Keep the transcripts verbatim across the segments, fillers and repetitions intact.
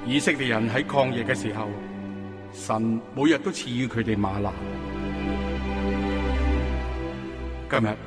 以色列人喺曠野嘅時候，神每日都賜予佢哋嗎哪。今日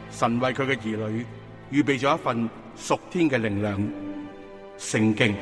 神為佢嘅兒女預備咗一份屬天嘅靈糧——聖經。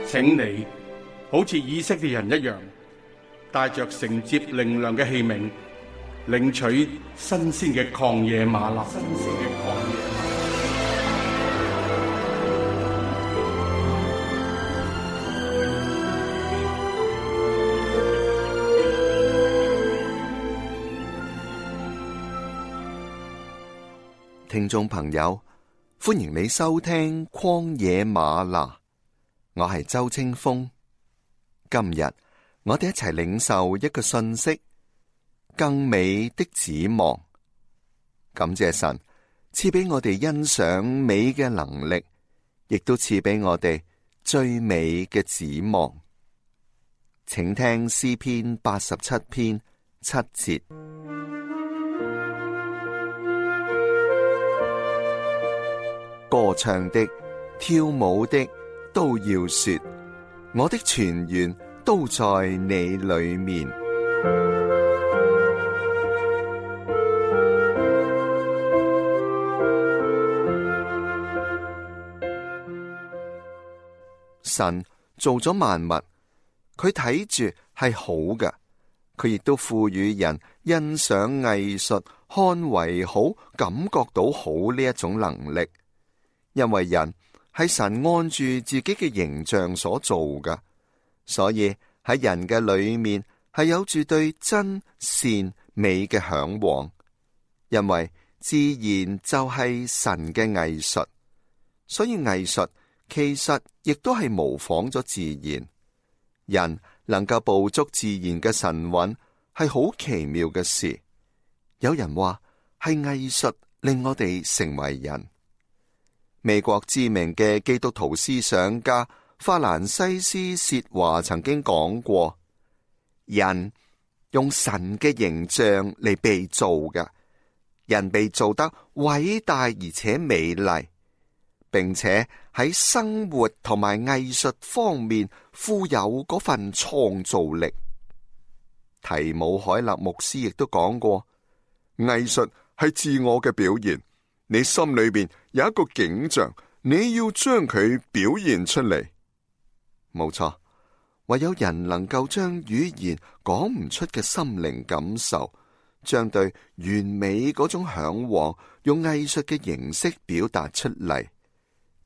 請你好似以色列人一樣，帶着承接靈糧嘅器皿，領取新鮮嘅曠野嗎哪。新鮮嘅曠野嗎哪。聽眾朋友，歡迎你收聽曠野嗎哪，我係周清風。今日我哋一齊領受一個信息：更美的指望。感謝神賜俾我哋欣賞美嘅能力，亦都賜俾我哋最美嘅指望。請聽詩篇八十七篇七節。歌唱的、跳舞的都要說，我的泉源都在你裏面。神做咗萬物，佢睇住係好嘅，佢亦都賦予人欣賞藝術、看為好、感覺到好呢一種能力。因為人係神按住自己嘅形象所做嘅，所以喺人嘅裏面係有住對真善美嘅向往。因為自然就係神嘅藝術，所以藝術其實亦都係模仿咗自然。人能夠捕捉自然嘅神韻係好奇妙嘅事。有人話係藝術令我哋成為人。美國知名嘅基督徒思想家法蘭西斯薛華曾經講過：人用神嘅形象嚟被造嘅，人被造得偉大而且美麗，並且喺生活同埋藝術方面富有嗰份創造力。提姆海勒牧師亦都講過：藝術係自我嘅表現。你心裏邊有一個景象，你要將佢表現出嚟。冇錯，唯有人能夠將語言講唔出嘅心靈感受，將對完美嗰種向往，用藝術嘅形式表達出嚟。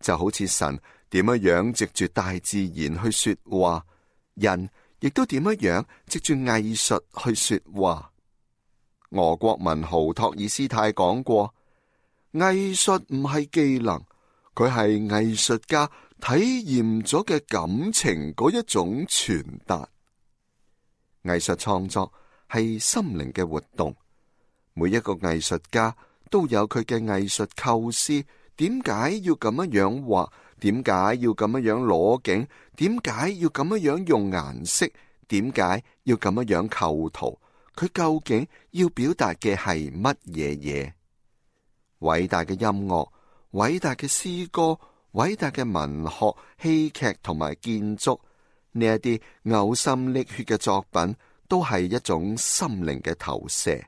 就好似神點樣樣藉住大自然去說話，人亦都點樣樣藉住藝術去說話。俄國文豪托爾斯泰講過：藝術唔係技能，佢係藝術家體驗咗嘅感情嗰一種傳達。藝術創作係心靈嘅活動，每一個藝術家都有佢嘅藝術構思。點解要咁樣樣畫？點解要咁樣樣攞景？點解要咁樣樣用顏色？點解要咁樣樣構圖？佢究竟要表達嘅係乜嘢嘢？偉大嘅音樂、偉大嘅詩歌、偉大嘅文學、戲劇同埋建築，呢一啲嘔心瀝血嘅作品，都係一種心靈嘅投射。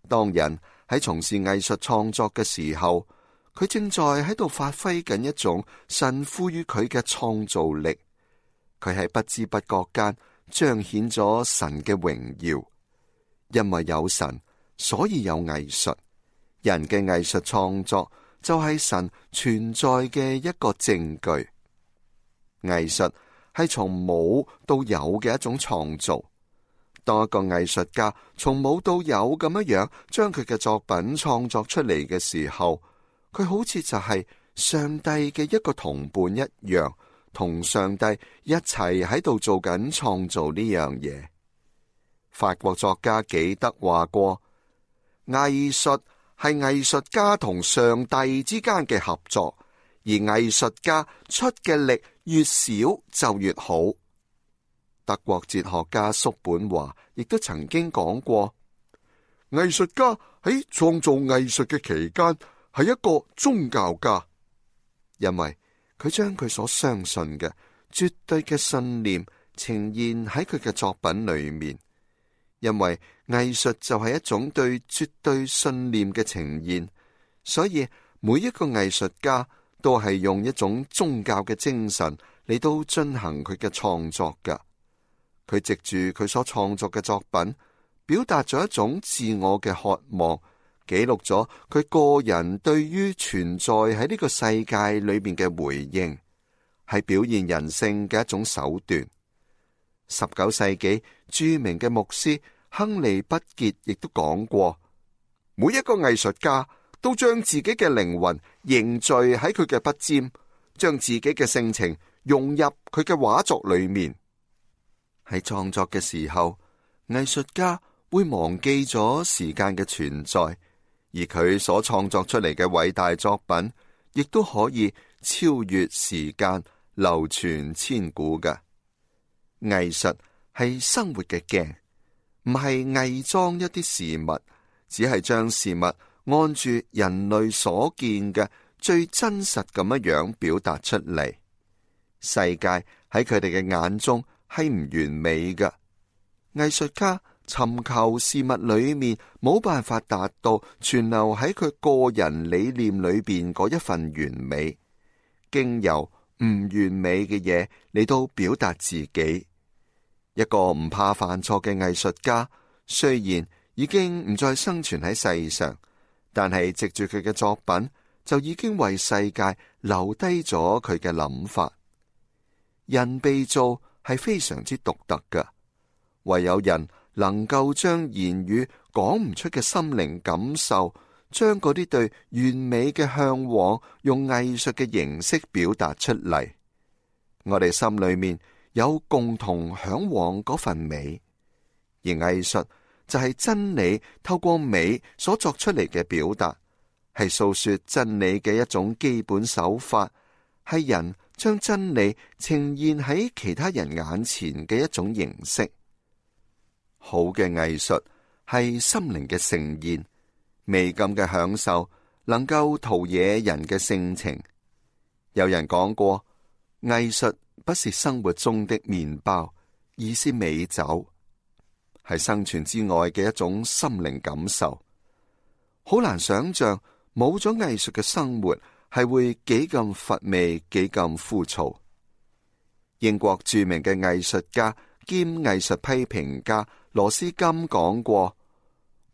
當人喺從事藝術創作嘅時候，佢正在喺度發揮緊一種神賦予佢嘅創造力。佢喺不知不覺間彰顯咗神嘅榮耀。因為有神，所以有藝術。人嘅藝術創作就係神存在嘅一個證據。藝術係從冇到有嘅一種創造。當一個藝術家從冇到有咁樣樣將佢嘅作品創作出嚟嘅時候，佢好似就係上帝嘅一個同伴一樣，同上帝一齊喺度做緊創造呢樣嘢。法國作家紀德話過：藝術係藝術家同上帝之間嘅合作，而藝術家出嘅力越少就越好。德國哲學家叔本華亦都曾經講過，藝術家喺創造藝術嘅期間係一個宗教家。因為佢將佢所相信嘅絕對嘅信念呈現喺佢嘅作品裏面。因為藝術就係一種對絕對信念嘅呈現，所以每一個藝術家都係用一種宗教嘅精神嚟到進行佢嘅創作㗎。佢藉住佢所創作嘅作品，表達咗一種自我嘅渴望，記錄咗佢個人對於存在喺呢個世界裏面嘅回應，係表現人性嘅一種手段。十九世紀著名嘅牧師亨利畢傑亦都講過，每一個藝術家都將自己嘅靈魂凝聚喺佢嘅筆尖，將自己嘅性情融入佢嘅畫作裏面。喺創作嘅時候，藝術家會忘記咗時間嘅存在，而佢所創作出嚟嘅偉大作品，亦都可以超越時間，流傳千古嘅。藝術係生活嘅鏡，唔係偽裝一啲事物，只係將事物按住人類所見嘅最真實咁樣樣表達出嚟。世界喺佢哋嘅眼中係唔完美嘅，藝術家尋求事物裏面冇辦法達到存留喺佢個人理念裏邊嗰一份完美，經由唔完美嘅嘢嚟到表達自己。一個唔怕犯錯嘅藝術家，雖然已經唔再生存喺世上，但係藉住佢嘅作品，就已經為世界留低咗佢嘅諗法。人被造係非常之獨特嘅，唯有人能夠將言語講唔出嘅心靈感受，將嗰啲對完美嘅向往，用藝術嘅形式表達出嚟。我哋心裏面有共同向往嗰份美，而藝術就係真理透過美所作出嚟嘅表達，係訴說真理嘅一種基本手法，係人將真理呈現喺其他人眼前嘅一種形式。好嘅藝術係心靈嘅盛宴，美感嘅享受能夠陶冶人嘅性情。有人講過，藝術不是生活中的麵包，而是美酒，係生存之外嘅一種心靈感受。好難想象冇咗藝術嘅生活係會幾咁乏味，幾咁枯燥。英國著名嘅藝術家兼藝術批評家羅斯金講過，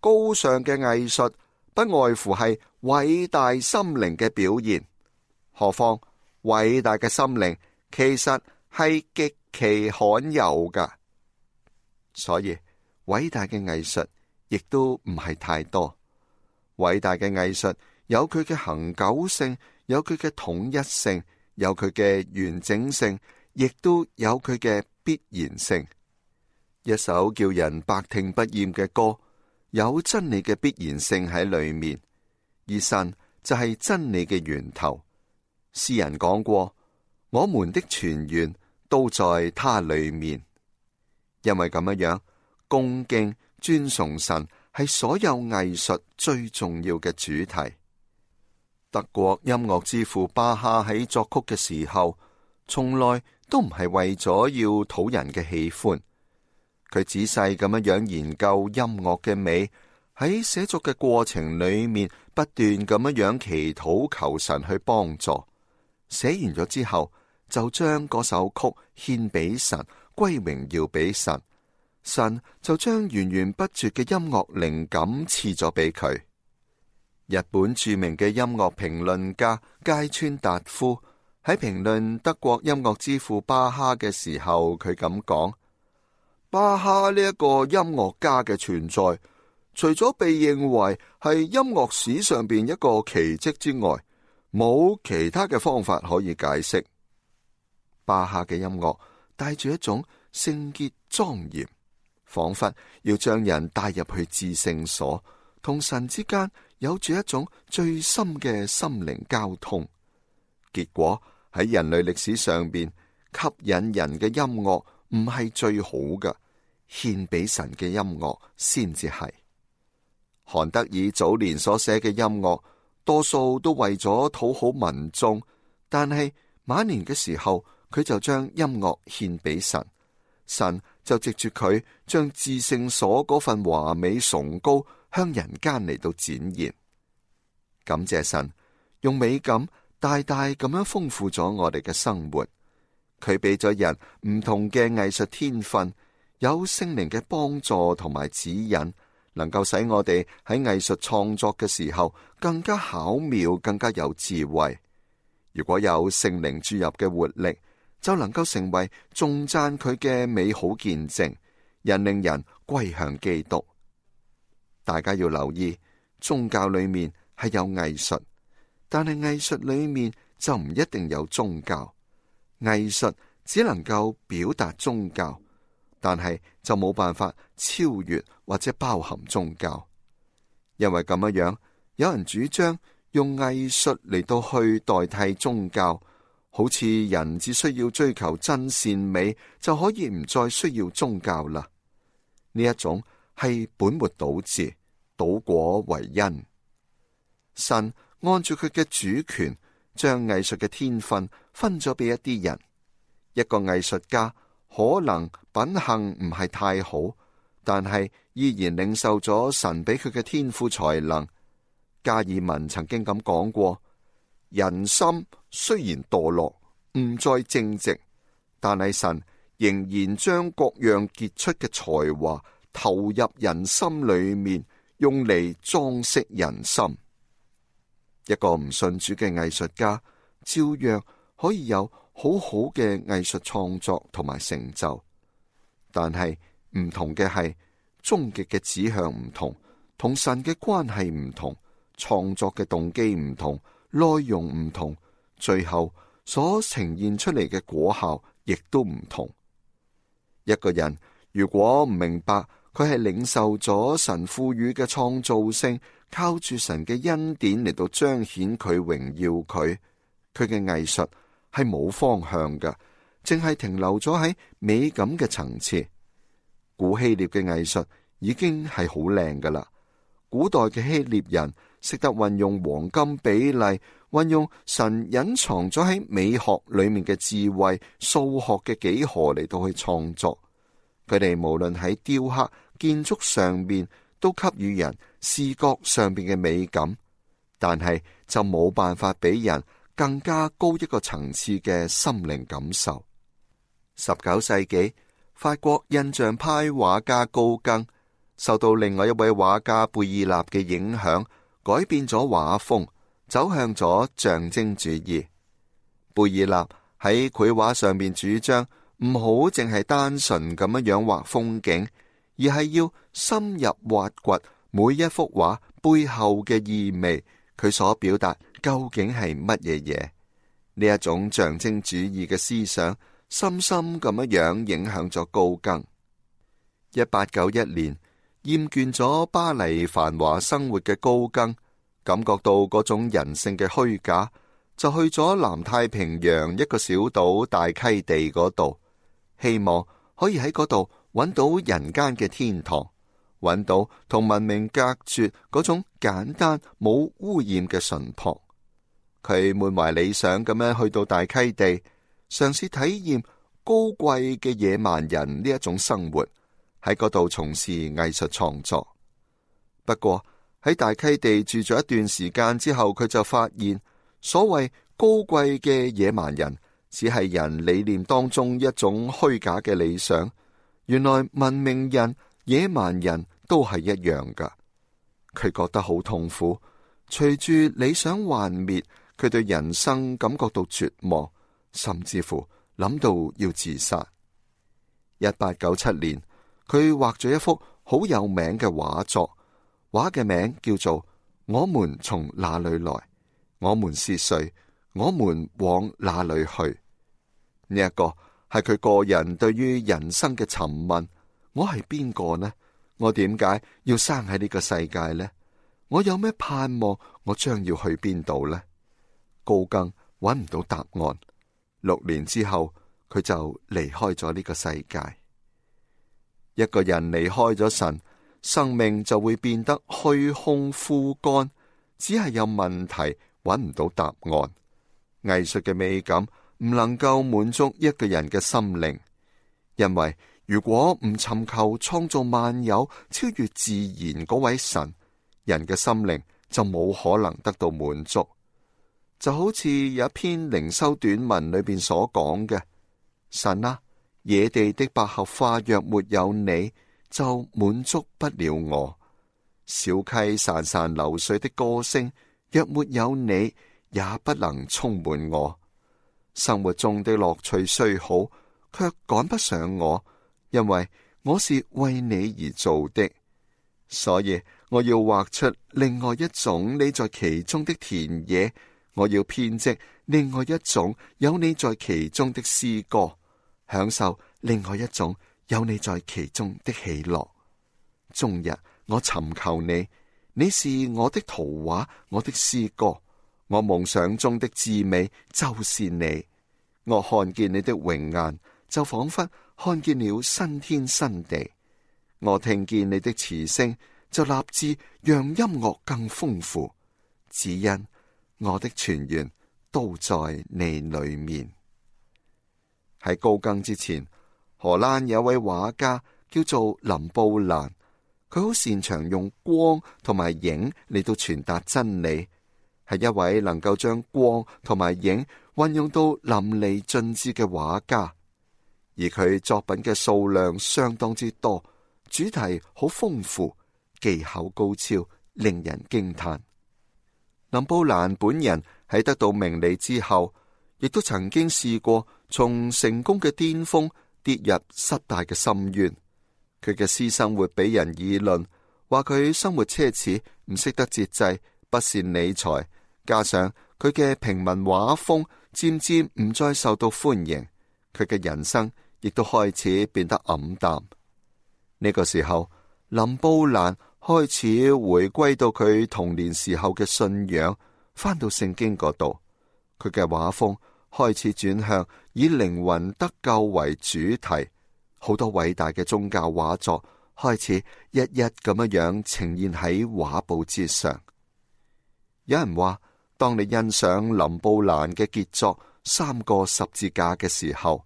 高尚嘅藝術不外乎係偉大心靈嘅表現，何況偉大嘅心靈其實係極其罕有噶，所以偉大嘅藝術亦都唔係太多。偉大嘅藝術有佢嘅恆久性，有佢嘅統一性，有佢嘅完整性，亦都有佢嘅必然性。一首叫人百聽不厭嘅歌，有真理嘅必然性喺裏面，而神就係真理嘅源頭。詩人講過，我們的泉源都在他裏面。因為咁樣樣，恭敬尊崇神係所有藝術最重要嘅主題。德國音樂之父巴哈喺作曲嘅時候，從來都唔係為咗要討人嘅喜歡。佢仔細咁樣樣研究音樂嘅美，喺寫作嘅過程裏面不斷咁樣樣祈禱求神去幫助。寫完咗之後，就將嗰首曲獻俾神，歸榮耀俾神。神就將源源不絕嘅音樂靈感賜咗俾佢。日本著名嘅音樂評論家芥川達夫喺評論德國音樂之父巴哈嘅時候，佢咁講：巴哈呢一個音樂家嘅存在，除咗被認為係音樂史上邊一個奇蹟之外，冇其他嘅方法可以解釋。巴哈嘅音樂帶住一種聖潔莊嚴，仿佛要將人帶入去至聖所，同神之間有住一種最深嘅心靈交通。結果喺人類歷史上邊，吸引人嘅音樂唔係最好嘅，獻俾神嘅音樂先至係。韓德爾早年所寫嘅音樂，多數都為咗討好民眾，但係晚年嘅時候，佢就將音樂獻俾神，神就藉住佢將至聖所嗰份華美崇高向人間嚟到展現。感謝神，用美感大大咁樣豐富咗我哋嘅生活。佢俾咗人唔同嘅藝術天分，有聖靈嘅幫助同埋指引，能夠使我哋喺藝術創作嘅時候更加巧妙，更加有智慧。如果有聖靈注入嘅活力，就能夠成為頌讚佢嘅美好見證，引領人歸向基督。大家要留意，宗教裏面係有藝術，但係藝術裏面就唔一定有宗教。藝術只能夠表達宗教，但係就冇辦法超越或者包含宗教。因為咁樣樣，有人主張用藝術嚟到去代替宗教，好似人只需要追求真善美就可以唔再需要宗教啦。呢一種係本末倒置，倒果為因。神按住佢嘅主權，將藝術嘅天分分咗俾一啲人。一個藝術家可能品行唔係太好，但係依然領受咗神俾佢嘅天賦才能。加爾文曾經咁講過：人心雖然墮落，唔再正直，但係神仍然將各樣傑出嘅才華投入人心裏面，用嚟裝飾人心。一個唔信主嘅藝術家，照樣可以有好好嘅藝術創作同埋成就，但係唔同嘅係終極嘅指向唔同，同神嘅關係唔同，創作嘅動機唔同，內容唔同，最後所呈現出嚟嘅果效亦都唔同。一個人如果唔明白佢係領受咗神賦予嘅創造性，靠住神嘅恩典嚟到彰顯佢榮耀佢，佢嘅藝術係冇方向㗎，淨係停留咗喺美感嘅層次。古希臘嘅藝術已經係好靚㗎喇，古代嘅希臘人識得運用黃金比例，運用神隱藏咗喺美學裏面嘅智慧、數學嘅幾何嚟到去創作。佢哋無論喺雕刻、建築上面，都給予人視覺上邊嘅美感，但係就冇辦法俾人更加高一個層次嘅心靈感受。十九世紀，法國印象派畫家高更受到另外一位畫家貝爾納嘅影響，改變咗畫風，走向咗象徵主義。貝爾納喺繪畫上面主張唔好淨係單純咁樣樣畫風景，而係要深入挖掘每一幅畫背後嘅意味，佢所表達究竟係乜嘢嘢？呢一種象徵主義嘅思想，深深咁樣樣影響咗高更。一八九一年，厭倦咗巴黎繁華生活嘅高更，感覺到嗰種人性嘅虛假，就去咗南太平洋一個小島大溪地嗰度，希望可以喺嗰度揾到人間嘅天堂，揾到同文明隔絕嗰種簡單冇污染嘅淳樸。佢滿懷理想咁樣去到大溪地，嘗試體驗高貴嘅野蠻人呢一種生活，喺嗰度從事藝術創作。不過喺大溪地住咗一段時間之後，佢就發現所謂高貴嘅野蠻人只係人理念當中一種虛假嘅理想。原來文明人、野蠻人都係一樣噶。佢覺得好痛苦，隨住理想幻滅，佢對人生感覺到絕望，甚至乎諗到要自殺。一八九七年，佢畫咗一幅好有名嘅畫作，畫嘅名叫做《我們從哪裏來？我們是誰？我們往哪裏去》。呢一個係佢個人對於人生嘅尋問：我係邊個呢？我點解要生喺呢個世界呢？我有咩盼望？我將要去邊度呢？高更揾唔到答案。六年之後，佢就離開咗呢個世界。一個人離開咗神，生命就會變得虛空枯乾，只係有問題，揾唔到答案。藝術嘅美感唔能夠滿足一個人嘅心靈，因為如果唔尋求創造萬有、超越自然嗰位神，人嘅心靈就冇可能得到滿足。就好似有一篇靈修短文裏邊所講嘅：神啊，野地的百合花若沒有你，就滿足不了我；小溪潺潺流水的歌聲若沒有你，也不能充滿我。生活中的樂趣雖好，卻趕不上我，因為我是為你而做的。所以我要畫出另外一種你在其中的田野，我要編織另外一種有你在其中的詩歌，享受另外一種有你在其中的喜樂。終日我尋求你，你是我的圖畫，我的詩歌。我夢想中的至美就是你，我看見你的榮顏，就仿佛看見了新天新地。我聽見你的詞聲，就立志讓音樂更豐富，只因我的泉源都在你裏面。喺高更之前，荷蘭有位畫家叫做林布蘭，佢好擅長用光同埋影嚟到傳達真理。係一位能夠將光同埋影運用到淋漓盡致嘅畫家，而佢作品嘅數量相當之多，主題好豐富，技巧高超，令人驚嘆。林布蘭本人喺得到名利之後，亦都曾經試過從成功嘅巔峰跌入失敗嘅深淵。佢嘅私生活俾人議論，話佢生活奢侈，唔識得節制，不善理財。加上佢嘅平民畫風漸漸唔再受到歡迎，佢嘅人生亦都開始變得黯淡。呢個時候，林布蘭開始回歸到佢童年時候嘅信仰，翻到聖經嗰度。佢嘅畫風開始轉向以靈魂得救為主題，好多偉大嘅宗教畫作開始一一咁樣樣呈現喺畫布之上。有人話，當你欣賞林布蘭嘅傑作《三個十字架》嘅時候，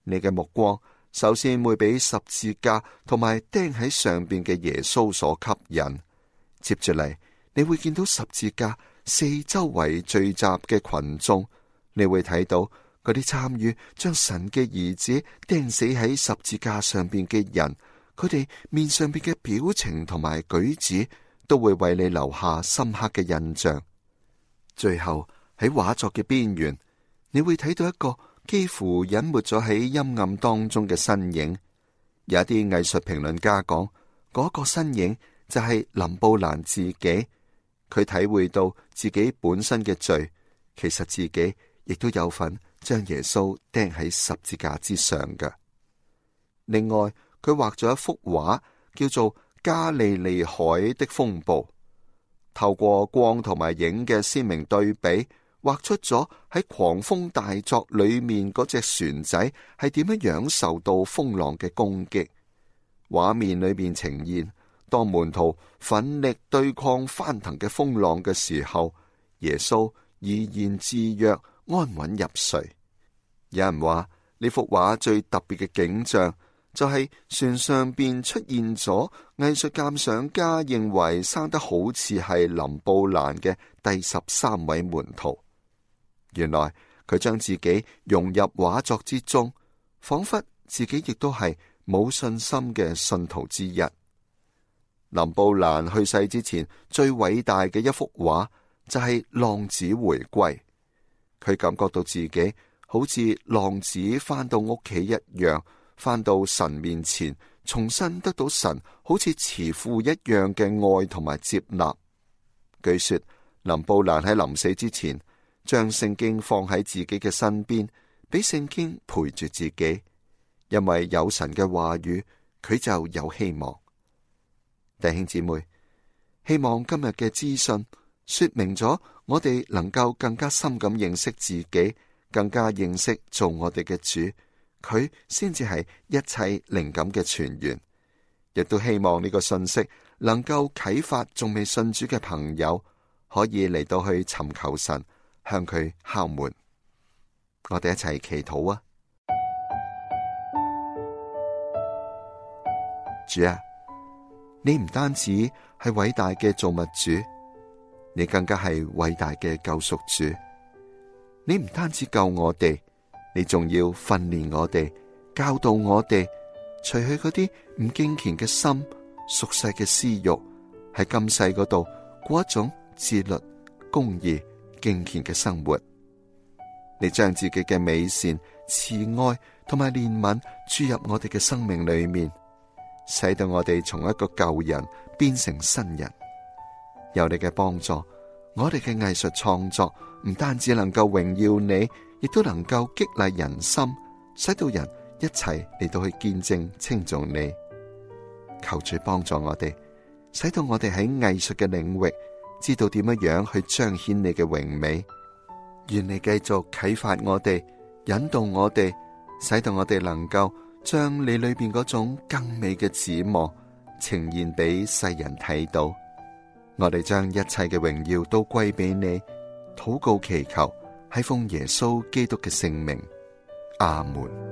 你嘅目光首先會俾十字架同埋釘喺上邊嘅耶穌所吸引。接住嚟，你會見到十字架四周圍聚集嘅群眾，你會睇到嗰啲參與將神嘅兒子釘死喺十字架上邊嘅人，佢哋面上邊嘅表情同埋舉止都會為你留下深刻嘅印象。最後喺畫作嘅邊緣，你會睇到一個幾乎隱沒咗喺陰暗當中嘅身影。有一啲藝術評論家講，嗰個身影就係林布蘭自己。佢體會到自己本身嘅罪，其實自己亦都有份將耶穌釘喺十字架之上嘅。另外，佢畫咗一幅畫，叫做《加利利海的風暴》。透過光同埋影嘅鮮明對比，畫出咗喺狂風大作裏面嗰隻船仔係點樣樣受到風浪嘅攻擊。畫面裏面呈現，當門徒奮力對抗翻騰嘅風浪嘅時候，耶穌怡然自若，安穩入睡。有人話呢幅畫最特別嘅景象，就係船上邊出現咗藝術鑑賞家認為生得好似係林布蘭嘅第十三位門徒。原來佢將自己融入畫作之中，仿佛自己亦都係冇信心嘅信徒之一。林布蘭去世之前最偉大嘅一幅畫就係浪子回歸。佢感覺到自己好似浪子翻到屋企一樣，翻到神面前，重新得到神好似慈父一樣嘅愛同埋接納。據說林布蘭喺臨死之前，將聖經放喺自己嘅身邊，俾聖經陪住自己，因為有神嘅話語，佢就有希望。弟兄姊妹，希望今日嘅資訊說明咗我哋能夠更加深咁認識自己，更加認識做我哋嘅主。佢先至係一切靈感嘅泉源，亦都希望呢個信息能夠啟發仲未信主嘅朋友，可以嚟到去尋求神，向佢敲門。我哋一齊祈禱啊！主啊，你唔單止係偉大嘅造物主，你更加係偉大嘅救贖主。你唔單止救我哋，你仲要訓練我哋，教導我哋，除去嗰啲唔敬虔嘅心、俗世嘅私欲，喺今世嗰度過一種自律、公義、敬虔嘅生活。你將自己嘅美善、慈愛同埋憐憫注入我哋嘅生命裏面，使到我哋從一個舊人變成新人。有你嘅幫助，我哋嘅藝術創作唔單止能夠榮耀你，亦都能夠激勵人心，使到人一齊嚟到去見證稱頌你。求主幫助我哋，使到我哋喺藝術嘅領域知道點樣樣去彰顯你嘅榮美。願你繼續啟發我哋，引導我哋，使到我哋能夠將你裏邊嗰種更美嘅指望呈現俾世人睇到。我哋將一切嘅榮耀都歸俾你，禱告祈求，係奉耶穌基督嘅聖名，阿門。